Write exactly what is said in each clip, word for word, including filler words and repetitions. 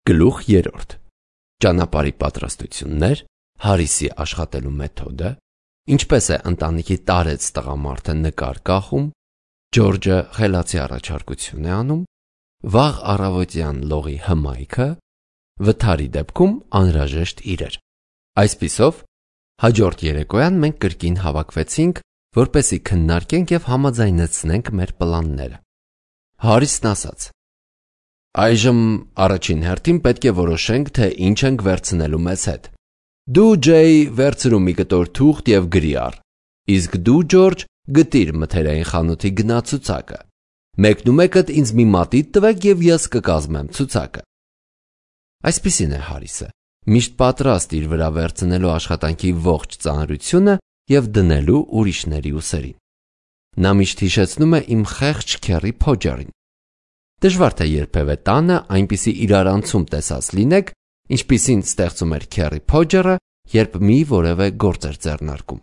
Գլուխ երրորդ. Ճանապարհի պատրաստություններ, Հարիսի աշխատելու մեթոդը, ինչպես է ընտանիքի տարեց տղամարդը նկար կախում, Ջորջը խելացի առաջարկություն է անում, վաղ առավոտյան լողի հմայքը, վթարի դեպքում անհրաժեշտ իրեր։ Այսպիսով, հաջորդ երեկոյան մենք կրկին հավաքվեցինք, որպեսզի քննարկենք և համաձայնեցնենք մեր պլանները։ Հարիսն ասաց. Այժմ առաջին հերթին պետք է որոշենք, թե ինչ ենք վերցնելու մեզ հետ։ Դու Ջեյ վերցրու մի կտոր թուղթ և գրի առ, իսկ դու Ջորջ գտիր մթերային խանութի գնացուցակը։ Մեկնումեկդ ինձ մի մատիտ տվեք և ես կկազմեմ ցուցակը։ Այսպիսին է Հարիսը, միշտ պատրաստ իր վրա վերցնելու աշխատանքի ողջ ծանրությունը և դնելու ուրիշների ուսերին։ Նա միշտ հիշեցնում է իմ խեղճ քեռի Փոջերին։ Դժվար թե երբևէ տանը այնպիսի իրարանցում տեսած լինեք, ինչպիսին ստեղծում էր քեռի Փոջերը, երբ մի որևէ գործ էր ձեռնարկում։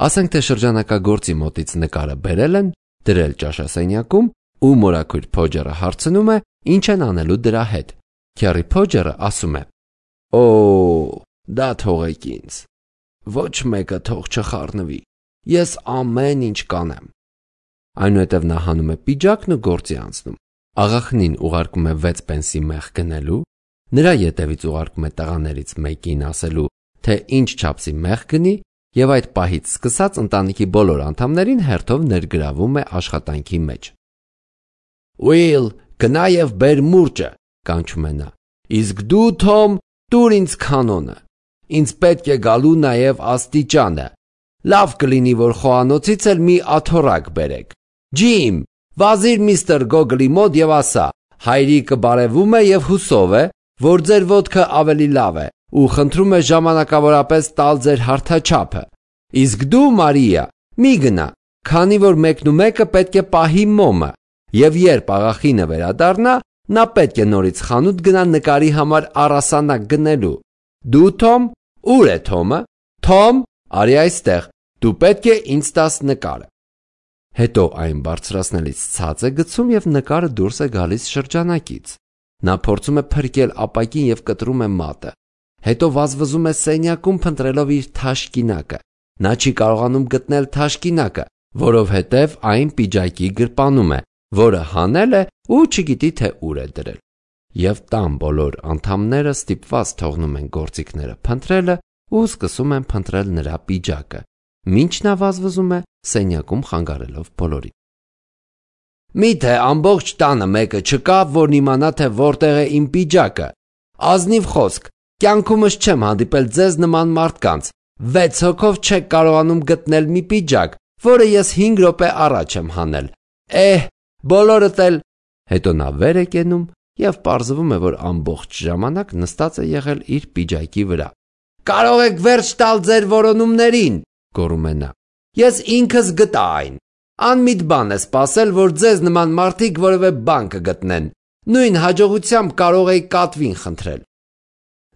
Ասենք թե շրջանակագործի մոտից նկարը բերել են, դրել ճաշասենյակում, ու մորաքույր Փոջերը հարցնում է, ինչ են անելու դրա հետ։ Քեռի Փոջերը ասում է. Օ, դա թողեք ինձ։ Ոչ մեկը թող չխառնվի։ Ես ամեն ինչ կանեմ։ Այնուհետև նա հանում է պիջակն ու գործի անցնում։ Աղախնին ուղարկում է վեց պենսի մեղ գնելու, նրա ետևից ուղարկում է տղաներից մեկին ասելու, թե ինչ չափսի մեղ գնի, և այդ պահից սկսած ընտանիքի բոլոր անդամներին հերթով ներգրավում է աշխատանքի մեջ։ Ուիլ, գնա և բեր մուրճը, կանչում է նա, իսկ դու Թոմ, տուր ինձ կանոնը։ Ինձ պետք է գալու նաև աստիճանը։ Լավ կլինի, որ խոհանոցից էլ մի աթոռակ բերեք։ Ջիմ, վազիր միստր Գոգլի մոտ և ասա. հայրիկը բարևում է և հուսով է, որ ձեր ոտքը ավելի լավ է ու խնդրում է ժամանակավորապես տալ ձեր հարթաչափը։ Իսկ դու, Մարիա, մի գնա, քանի որ մեկնումեկը պետք է պահի մոմը, և երբ աղախինը վերադառնա, նա պետք է նորից խանութ գնա նկարի համար առասանակ գնելու։ Դու, Թոմ, ուր է Թոմը։ Թոմ, արի այստեղ, դու պետք է ինձ տաս նկարը։ Հետո այն բարձրացնելիս ցած է գցում և նկարը դուրս է գալիս շրջանակից։ Նա փորձում է փրկել ապակին և կտրում է մատը։ Հետո վազվզում է սենյակում փնտրելով իր թաշկինակը։ Նա չի կարողանում գտնել թաշկինակը, որովհետև այն պիջակի գրպանում է, որը հանել է ու չգիտի, թե ուր է դրել։ Եվ տան բոլոր անդամները ստիպված թողնում են գործիքները փնտրելը ու սկսում են փնտրել նրա պիջակը, մինչ նա վազվզում է սենյակում խանգարելով բոլորին։ Միթե ամբողջ տանը մեկը չկա, որն իմանա, թե որտեղ է իմ պիջակը։ Ազնիվ խոսք, կյանքումս չեմ հանդիպել ձեզ նման մարդկանց։ Վեց հոգով չեք կարողանում գտնել մի պիջակ, որը ես հինգ րոպե առաջ եմ հանել։ Էհ, բոլորդ էլ։ Հետո նա վեր է կենում և պարզվում է, որ ամբողջ ժամանակ նստած է եղել իր պիջակի վրա։ Կարող եք վերջ տալ ձեր որոնումներին, գոռում է նա։ Ես ինքս գտա այն։ Անմիտ բան է սպասել, որ ձեզ նման մարդիկ որևէ բան կգտնեն։ Նույն հաջողությամբ կարող էի կատվին խնդրել։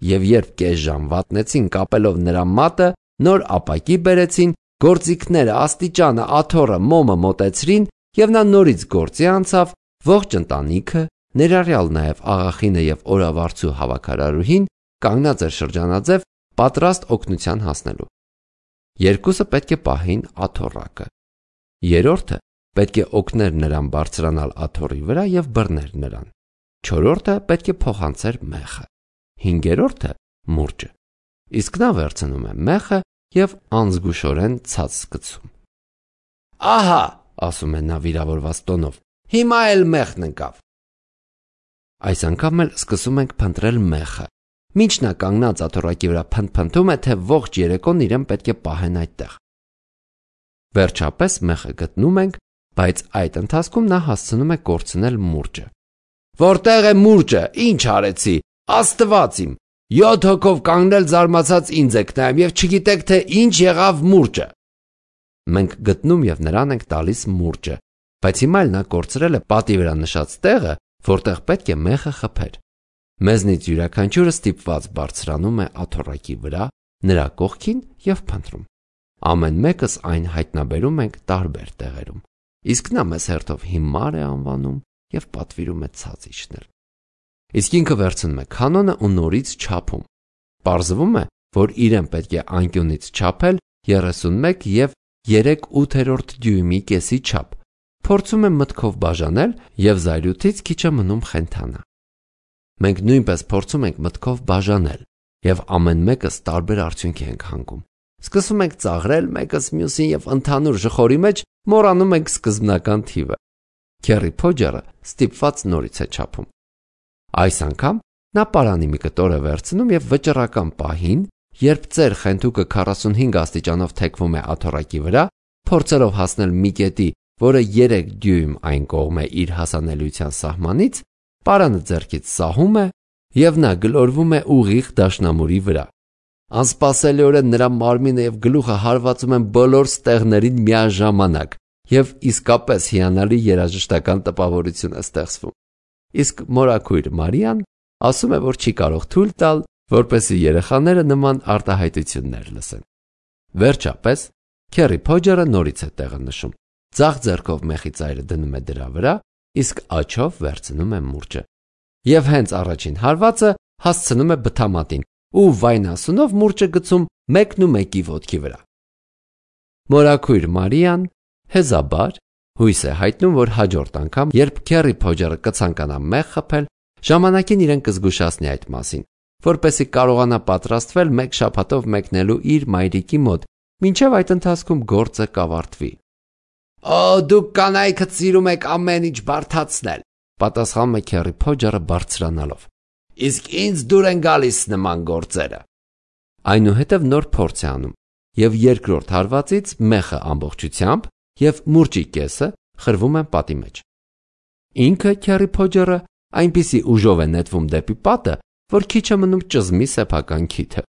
Եվ երբ կես ժամ վատնեցին կապելով նրա մատը, նոր ապակի բերեցին, գործիքները, աստիճանը, աթոռը, մոմը մոտեցրին, և նա նորից գործի անցավ, ողջ ընտանիքը, ներառյալ նաև աղախինը և օրավարձու հավաքարարուհին, կանգնած էր շրջանաձև, պատրաստ օգնության հասնելու։ Երկուսը պետք է պահեին աթոռակը։ Երրորդը պետք է օգներ նրան բարձրանալ աթոռի վրա և բռներ նրան։ Չորրորդը պետք է փոխանցեր մեխը։ Հինգերորդը մուրճը։ Իսկ նա վերցնում է մեխը և անզգուշորեն ցած գցում։ Ահա, ասում է նա վիրավորված տոնով, հիմա էլ մեխն ընկավ։ Այս անգամ էլ սկսում ենք փնտրել մեխը։ Մինչ նա կանգնած աթոռակի վրա փնթփնթում է, թե ողջ երեկոն իրեն պետք է պահեն այդտեղ։ Վերջապես մեխը գտնում ենք, բայց այդ ընթացքում նա հասցնում է կորցնել մուրճը։ Որտեղ է մուրճը, ինչ արեցի, Աստված իմ, յոթ հոգով կանգնել զարմացած ինձ եք նայում և չգիտեք, թե ինչ եղավ մուրճը։ Մենք գտնում և նրան ենք տալիս մուրճը, բայց հիմա էլ նա կորցրել է պատի վրա նշած տեղը, որտեղ պետք է մեխը խփեր։ Մեզնից յուրաքանչյուրը ստիպված բարձրանում է աթոռակի վրա, նրա կողքին և փնտրում։ Ամեն մեկս այն հայտնաբերում ենք տարբեր տեղերում, իսկ նա մեզ հերթով հիմար է անվանում և պատվիրում է ցած իջնել։ Իսկ ինքը վերցնում է քանոնը ու նորից չափում։ Պարզվում է, որ իրեն պետք է անկյունից չափել երեսունմեկ և երեք ութերորդ դյույմի կեսի չափ, փորձում է մտքով բաժանել և զայրույթից քիչ է մնում խենթանա։ Մենք նույնպես փորձում ենք մտքով բաժանել և ամեն մեկս տարբեր արդյունքի ենք հանգում։ Սկսում ենք ծաղրել մեկս մյուսին և ընդհանուր ժխորի մեջ մոռանում ենք սկզբնական թիվը։ Քերի Փոջերը ստիպված նորից է չափում։ Այս անգամ նա պարանի մի կտոր է վերցնում և վճռական պահին, երբ ծեր խենթուկը քառասունհինգ աստիճանով թեքվում է աթոռակի վրա, փորձելով հասնել մի կետի, որը երեք դյույմ այն կողմ է իր հասանելիության սահմանից, պարանը ձեռքից սահում է և նա գլորվում է ուղիղ դաշնամուրի վրա։ Անսպասելիորեն նրա մարմինը և գլուխը հարվածում են բոլոր ստեղներին միաժամանակ և իսկապես հիանալի երաժշտական տպավորություն է ստեղծվում։ Իսկ մորաքույր Մարիան ասում է, որ չի կարող թույլ տալ, որպեսզի երեխաները նման արտահայտություններ լսեն։ Վերջապես, Քերի Փոջերը նորից է տեղը նշում, ձախ ձեռքով մեխի ծայրը դնում է դրա վրա, իսկ աջով վերցնում է մուրճը։ Եվ հենց առաջին հարվածը հասցնում է բթամատին ու վայնասունով մուրճը գցում մեկնումեկի ոտքի վրա։ Մորաքույր Մարիան հեզաբար հույս է հայտնում, որ հաջորդ անգամ, երբ Քերի Փոջերը կցանկանա մեղ խփել, ժամանակին իրեն կզգուշացնի այդ մասին, որպեսզի կարողանա պատրաստվել մեկ շաբաթով մեկնելու իր մայրիկի մոտ, մինչև այդ ընթացքում գործը կավարտվի։ «Օ, դուք կանայքդ սիրում եք ամեն ինչ բարդացնել», պատասխանում է Քերի Փոջերը բարձրանալով։ «Իսկ ինձ դուր են գալիս նման գործերը»։ Այնուհետև նոր փորձ է անում, և երկրորդ հարվածից մեխը ամբողջությամբ և մուրճի կեսը խրվում են պատի մեջ։ Ինքը Քերի Փոջերը այնպիսի ուժով է նետվում դեպի պատը, որ քիչ է մնում ճզմի սեփական քիթը։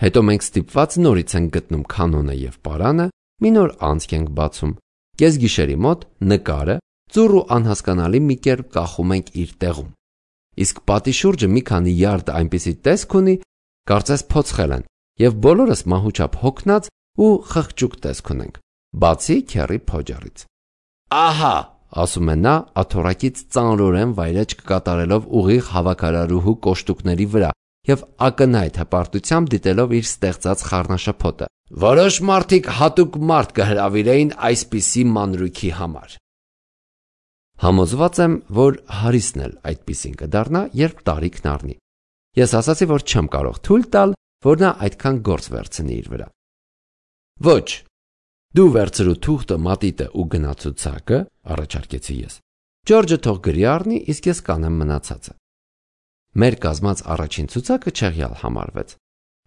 Հետո մենք ստիպված նորից ենք գտնում քանոնը և պարանը, մի նոր անցք ենք բացում։ Կեսգիշերի մոտ նկարը ծուռ ու անհասկանալի մի կերպ կախում ենք իր տեղում։ Իսկ պատի շուրջը մի քանի յարդ այնպիսի տեսք ունի, կարծես փոცხել են, և բոլորս մահուչափ հոգնած ու խղճուկ տեսք ունենք, բացի Քերի Փոջերից։ «Ահա», ասում է նա, աթոռակից ծանրորեն վայրէջք կատարելով ուղիղ հավաքարարուհու կոշտուկների վրա և ակնհայտ հպարտությամբ դիտելով իր ստեղծած խառնաշփոթը, «որոշ մարդիկ հատուկ մարդ կհրավիրեին այսպիսի մանրուքի համար»։ Համոզված եմ, որ Հարիսն էլ այդպիսին կդառնա, երբ տարիքն առնի։ Ես ասացի, որ չեմ կարող թույլ տալ, որ նա այդքան գործ վերցնի իր վրա։ «Ոչ, դու վերցրու թուղթը, մատիտը ու գնա ցուցակը», առաջարկեցի ես։ «Ջորջը թող գրի առնի, իսկ ես կանեմ մնացածը»։ Մեր կազմած առաջին ցուցակը չեղյալ համարվեց։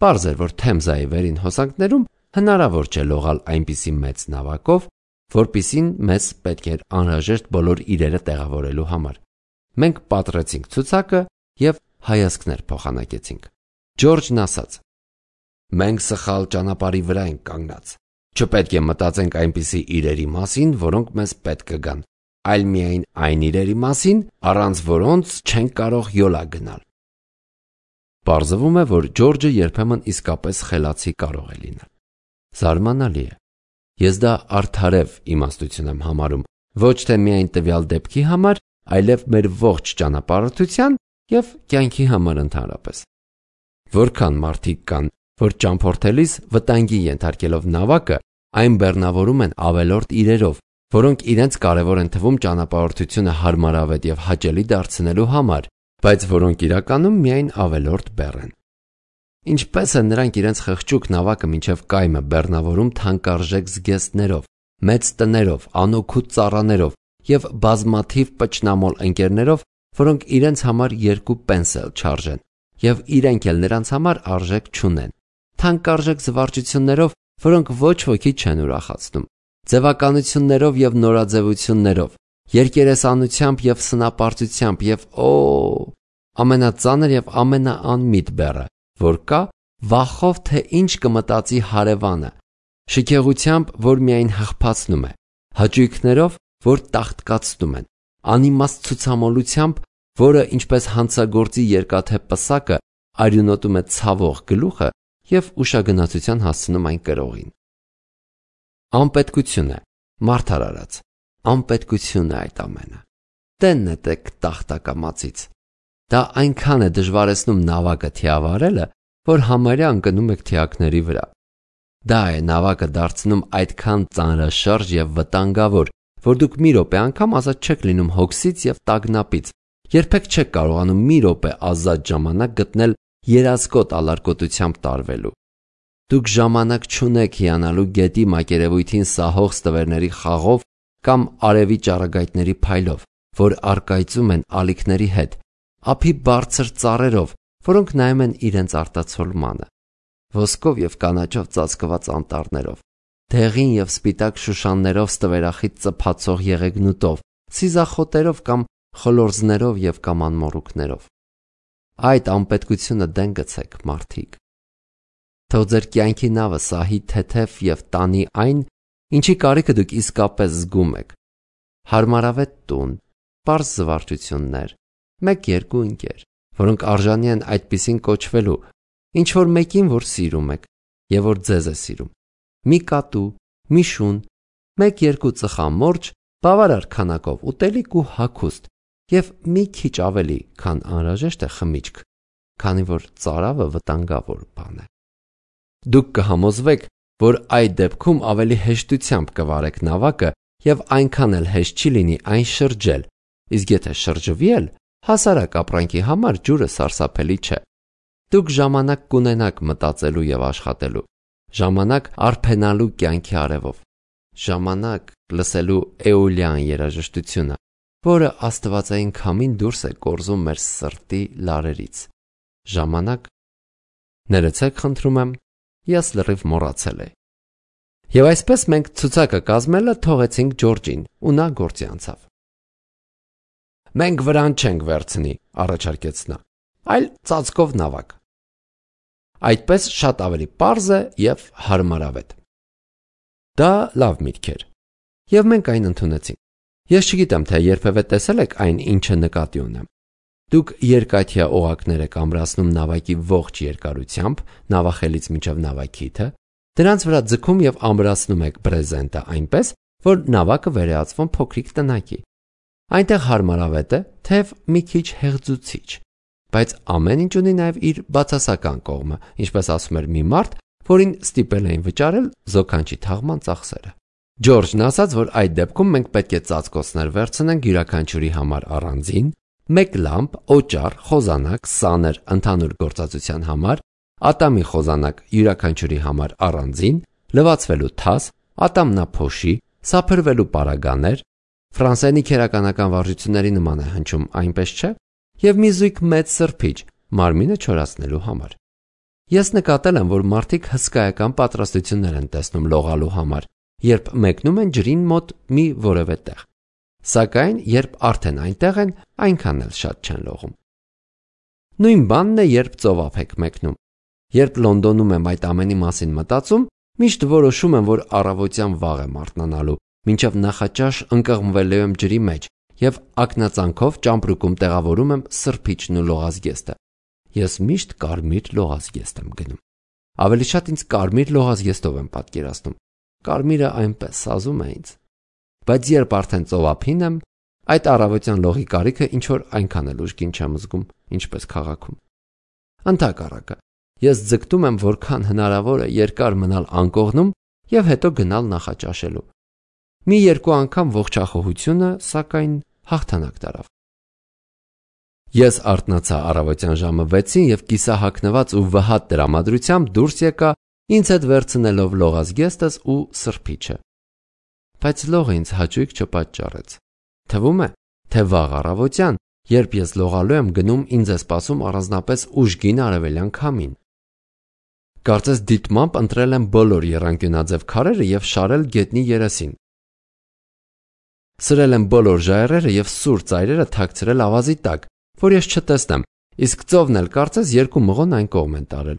Պարզ էր, որ Թեմզայի վերին հոսանքներում հնարավոր չէ լողալ այնպիսի մեծ նավակով, որպիսին մեզ պետք էր անհրաժեշտ բոլոր իրերը տեղավորելու համար։ Մենք պատռեցինք ցուցակը և հայացքներ փոխանակեցինք։ Ջորջն ասաց. «Մենք սխալ ճանապարհի վրա ենք կանգնած։ Չպետք է մտածենք այնպիսի իրերի մասին, որոնք մեզ պետք կգան, այլ միայն այն իրերի մասին, առանց որոնց չենք կարող յոլա գնալ»։ Պարզվում է, որ Ջորջը երբեմն իսկապես խելացի կարող է լինել։ Զարմանալի է։ Ես դա արդարև իմաստություն եմ համարում, ոչ թե միայն տվյալ դեպքի համար, այլև մեր ողջ ճանապարհորդության և կյանքի համար ընդհանրապես։ Որքան մարդիկ կան, որ ճամփորդելիս վտանգի ենթարկելով նավակը, այն բեռնավորում են ավելորդ իրերով, որոնք իրենց կարևոր են թվում ճանապարհորդությունը հարմարավետ և հաճելի դարձնելու համար, բայց որոնք իրականում միայն ավելորդ բեռ են։ Ինչպես են նրանք իրենց խղճուկ նավակը մինչև կայմը բեռնավորում թանկարժեք զգեստներով, մեծ տներով, անօգուտ ծառաներով և բազմաթիվ պճնամոլ ընկերներով, որոնք իրենց համար երկու պենս էլ չարժեն, և իրենք էլ նրանց համար արժեք չունեն, թանկարժեք զվարճություններով, որոնք ոչ ոքի չեն ուրախացնում, ձևականություններով և նորաձևություններով, երկերեսանությամբ և սնապարծությամբ և օ, ամենածանր և ամենաանմիտ բեռը, որ կա, վախով, թե ինչ կմտածի հարևանը, շքեղությամբ, որ միայն հղփացնում է, հաճույքներով, որ տաղտկացնում են, անիմաստ ցուցամոլությամբ, որը ինչպես հանցագործի երկաթե պսակը արյունոտում է ցավող գլուխը և ուշագնացության հասցնում այն կրողին։ Անպետքություն է, մարդար արած, անպետքություն է այդ ամենը։ Տեն նետեք տախտակամածից։ Դա այնքան է դժվարեցնում նավակը թիավարելը, որ համարյա ընկնում եք թիակների վրա։ Դա է նավակը դարձնում այդքան ծանրաշարժ եւ վտանգավոր, որ դուք մի րոպե անգամ ազատ չեք լինում հոգսից եւ տագնապից, երբեք չեք կարողանում մի րոպե ազատ ժամանակ գտնել երազկոտ ալարկոտությամբ տարվելու։ Դուք ժամանակ չունեք հիանալու գետի մակերևույթին սահող ստվերների խաղով կամ արևի ճառագայթների փայլով, որ առկայծում են ալիքների հետ, ափի բարձր ծառերով, որոնք նայում են իրենց արտացոլմանը, ոսկով եւ կանաչով ծածկված անտառներով, դեղին եւ սպիտակ շուշաններով ստվերախիտ ծփացող եղեգնուտով, սիզախոտերով կամ խլորձներով եւ կամ անմոռուկներով։ Այդ անպետքությունը դեն գցեք, մարդիկ։ Թող ձեր կյանքի նավը սահի թեթև եւ տանի այն, ինչի կարիքը դուք իսկապես զգում եք։ Հարմարավետ տուն, պարզ զվարճություններ, մեկ-երկու ընկեր, որոնք արժանի են այդպիսին կոչվելու, ինչ որ մեկին, որ սիրում եք եւ որ ձեզ է սիրում։ Մի կատու, մի շուն, մեկ-երկու ծխամորճ, բավարար քանակով ուտելիք ու հագուստ եւ մի քիչ ավելի, քան անհրաժեշտ է խմիչք, քանի որ ծարավը վտանգավոր բան է։ Դուք կհամոզվեք, որ այդ դեպքում ավելի հեշտությամբ կվարեք նավակը եւ այնքան էլ հեշտ չի լինի այն շրջել, իսկ եթե շրջվի էլ, հասարակ ապրանքի համար ջուրը սարսափելի չէ։ Դուք ժամանակ կունենաք մտածելու եւ աշխատելու, ժամանակ արփենալու կյանքի արևով, ժամանակ լսելու էոլյան երաժշտությունը, որը աստվածային քամին դուրս է կորզում մեր սրտի լարերից, ժամանակ։ Ներեցեք, խնդրում եմ, ես լրիվ մոռացել էի։ Եվ այսպես մենք ցուցակը կազմելը թողեցինք Ջորջին, ու նա գործի անցավ։ Մենք վրան չենք վերցնի, առաջարկեց նա, այլ ծածկով նավակ։ Այդպես շատ ավելի պարզ է եւ հարմարավետ։ Դա լավ միտք էր, եւ մենք այն ընդունեցինք։ Ես չգիտեմ, թե երբևէ տեսել եք այն, ինչը նկատի ունեմ։ Դուք երկաթյա օղակներ եք ամրացնում նավակի ողջ երկարությամբ, նավախելից մինչև նավակիթը, դրանց վրա ձգում եւ ամրացնում եք բրեզենտը այնպես, որ նավակը վերածվում փոքրիկ տնակի։ Այնտեղ հարմարավետ է, թեև մի քիչ հեղձուցիչ, բայց ամեն ինչ ունի նաեւ իր բացասական կողմը, ինչպես ասում էր մի մարդ, որին ստիպել էին վճարել զոքանչի թաղման ծախսերը։ Ջորջն ասաց, որ այդ դեպքում մենք պետք է ծածկոցներ վերցնենք յուրաքանչյուրի համար առանձին, մեկ լամպ, օճառ, խոզանակ, սաներ ընդհանուր գործածության համար, ատամի խոզանակ յուրաքանչյուրի համար առանձին, լվացվելու թաս, ատամնափոշի, սափրվելու պարագաներ, ֆրանսիանի քերականական վարժությունների նման է հնչում, այնպես չէ, եւ մի զույգ մեծ սրբիչ, մարմինը չորացնելու համար։ Ես նկատել եմ, որ մարդիկ հսկայական պատրաստություններ են տեսնում լողալու համար, երբ մեկնում են ջրին մոտ մի որևէ տեղ։ Սակայն, երբ արդեն այնտեղ են, այնքան էլ շատ չեն լողում։ Նույն բանն է, երբ ծովափ եք մեկնում։ Երբ Լոնդոնում եմ այդ ամենի մասին մտածում, միշտ որոշում եմ, որ առավոտյան վաղ եմ արթնանալու, մինչև նախաճաշ ընկղմվելու եմ ջրի մեջ եւ ակնածանքով ճամպրուկում տեղավորում եմ սրբիչն ու լողազգեստը։ Ես միշտ կարմիր լողազգեստ եմ գնում։ Ավելի շատ ինձ կարմիր լողազգեստով եմ պատկերացնում։ Կարմիրը այնպես սազում է ինձ։ Բայց երբ արդեն ծովափին եմ, այդ առավոտյան լողի կարիքը ինչ որ այնքան էլ ուժգին չեմ զգում, ինչպես քաղաքում։ Ընդհակառակը, ես ձգտում եմ որքան հնարավոր է երկար մնալ անկողնում եւ հետո գնալ նախաճաշելու։ Մի երկու անգամ ողջախոհությունը, սակայն հաղթանակ տարավ։ Ես արթնացա առավոտյան ժամը վեցին եւ կիսահագնված ու վհատ տրամադրությամբ դուրս եկա, ինձ հետ վերցնելով լողազգեստս ու սրբիչը։ Բայց լողը ինձ հաճույք չպատճառեց։ Թվում է, թե վաղ առավոտյան, երբ ես լողալու եմ գնում, ինձ է սպասում առանձնապես ուժգին արևելյան քամին։ Կարծես դիտմամբ ընտրել եմ բոլոր եռանկյունաձև քարերը եւ շարել գետնի երեսին։ Սրել եմ բոլոր ժայռերը եւ սուր ծայրերը թաքցրել ավազի տակ, որ ես չտեսնեմ, իսկ ծովն էլ կարծես երկու մղոն այն կողմ են տարել,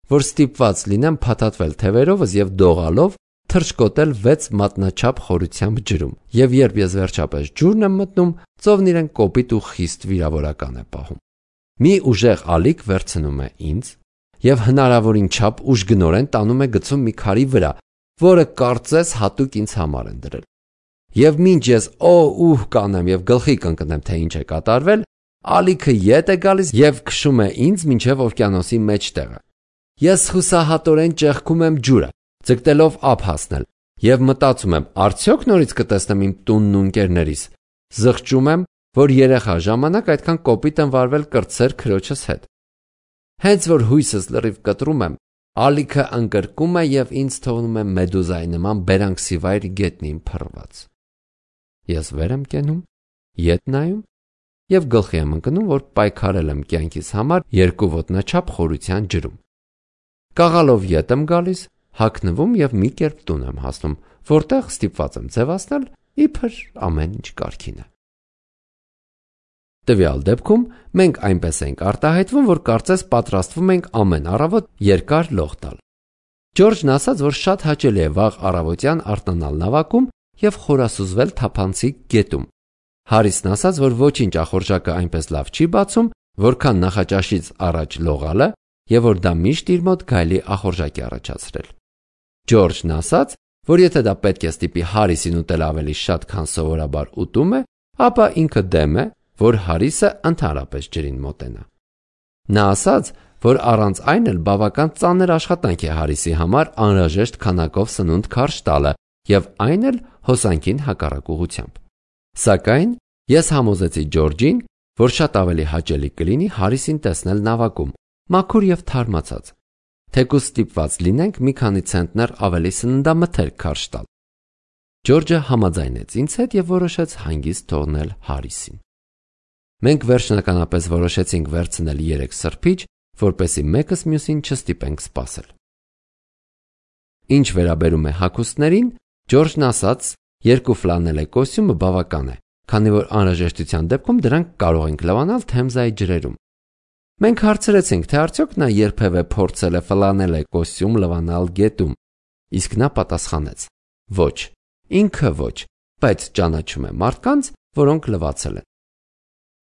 որ ստիպված լինեմ փաթաթվել թևերովս եւ դողալով թրջկոտել վեց մատնաչափ խորությամբ ջրում։ Եվ երբ ես վերջապես ջուրն եմ մտնում, ծովն իրեն կոպիտ ու խիստ վիրավորական է պահում։ Մի ուժեղ ալիք վերցնում է ինձ եւ հնարավորին չափ ուժգնորեն տանում է գցում մի քարի վրա, որը կարծես հատուկ ինձ համար են դրել։ Եվ մինչ ես օ ուհ կանեմ եւ գլխի կընկնեմ, թե ինչ է կատարվել, ալիքը ետ է գալիս եւ քշում է ինձ մինչեւ օվկիանոսի մեջտեղը։ Ես հուսահատորեն ճեղքում եմ ջուրը, ձգտելով ափ հասնել, եւ մտածում եմ, արդյոք նորից կտեսնեմ իմ տունն ու ընկերներիս։ Զղջում եմ, որ երեխա ժամանակ այդքան կոպիտ եմ վարվել կրտսեր քրոջս հետ։ Հենց որ հույսս լրիվ կտրում եմ, ալիքը ընկրկում է եւ ինձ թողնում է մեդուզայի նման բերանքսիվայր գետնին փռված։ Ես վեր եմ կենում, ետ նայում եւ գլխի եմ ընկնում, որ պայքարել եմ կյանքիս համար երկու ոտնաչափ խորության ջրում։ Կաղալով ետ եմ գալիս, հագնվում եւ մի կերպ տուն եմ հասնում, որտեղ ստիպված եմ ձևացնել իբր ամեն ինչ կարգին է։ Տվյալ դեպքում մենք այնպես ենք արտահայտվում, որ կարծես պատրաստվում ենք ամեն առավոտ երկար լող տալ։ Ջորջն ասաց, որ շատ հաճելի է վաղ առավոտյան արթնանալ նավակում եւ խորասուզվել թափանցիկ գետում։ Հարիսն ասաց, որ ոչինչ ախորժակը այնպես լավ չի բացում, որքան նախաճաշից առաջ լողալը, եւ որ դա միշտ իր մոտ գայլի ախորժակ է առաջացրել։ Ջորջն ասաց, որ եթե դա պետք է ստիպի Հարիսին ուտել ավելի շատ, քան սովորաբար ուտում է, ապա ինքը դեմ է, որ Հարիսը ընդհանրապես ջրին մոտենա։ Նա ասաց, որ առանց այն էլ բավական ծանր աշխատանք է Հարիսի համար անհրաժեշտ քանակով սնունդ քարշ տալը եւ այն էլ հոսանքին հակառակ ուղղությամբ։ Սակայն ես համոզեցի Ջորջին, որ շատ ավելի հաճելի կլինի Հարիսին տեսնել նավակում, մաքուր եւ թարմացած, թեկուզ ստիպված լինենք մի քանի ցենտներ ավելի սննդամթերք քարշ տալ։ Ջորջը համաձայնեց ինձ հետ եւ որոշեց հանգիստ թողնել Հարիսին։ Մենք վերջնականապես որոշեցինք վերցնել երեք սրբիչ, որպեսզի մեկս մյուսին չստիպենք սպասել։ Ինչ վերաբերում է հագուստներին, Ջորջն ասաց, երկու ֆլանելե կոստյումը բավական է, քանի որ անհրաժեշտության դեպքում դրանք կարող ենք լվանալ Թեմզայի ջրերում։ Մենք հարցրեցինք, թե արդյոք նա երբևէ փորձել է ֆլանելե կոստյում լվանալ գետում, իսկ նա պատասխանեց. ոչ, ինքը ոչ, բայց ճանաչում է մարդկանց, որոնք լվացել են։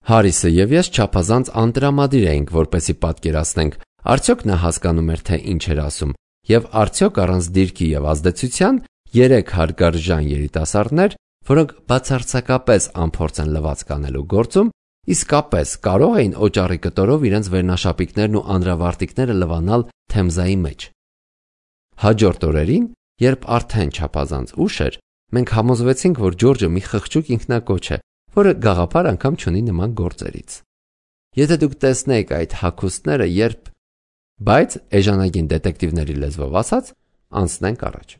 Հարիսը եւ ես չափազանց անտրամադիր էինք, որպեսզի պատկերացնենք, արդյոք նա հասկանում էր, թե ինչ էր ասում, եւ արդյոք առանց դիրքի եւ ազդեցության երեք հարգարժան երիտասարդներ, որոնք բացարձակապես անփորձ են լվացք անելու գործում, իսկապես կարող էին օճառի կտորով իրենց վերնաշապիկներն ու անդրավարտիքները լվանալ Թեմզայի մեջ։ Հաջորդ օրերին, երբ արդեն չափազանց ուշ էր, մենք համոզվեցինք, որ Ջորջը մի խղճուկ ինքնակոչ է, որը գաղափար անգամ չունի նման գործերից։ Եթե դուք տեսնեիք այդ հագուստները, երբ… Բայց էժանագին դետեկտիվների լեզվով ասած, անցնենք առաջ։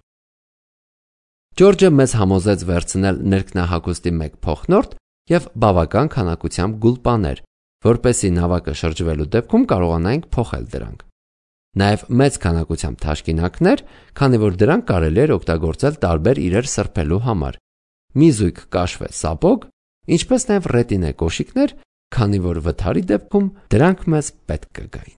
Ջորջը մեզ համոզեց վերցնել ներքնահագուստի մեկ փոխնորդ եւ բավական քանակությամբ գուլպաներ, որպեսզի նավակը շրջվելու դեպքում կարողանայինք փոխել դրանք։ Նաեւ մեծ քանակությամբ թաշկինակներ, քանի որ դրանք կարելի էր օգտագործել տարբեր իրեր սրբելու համար։ Մի զույգ կաշվե սապոգ, ինչպես նաեւ ռետինե կոշիկներ, քանի որ վթարի դեպքում դրանք մեզ պետք կգային։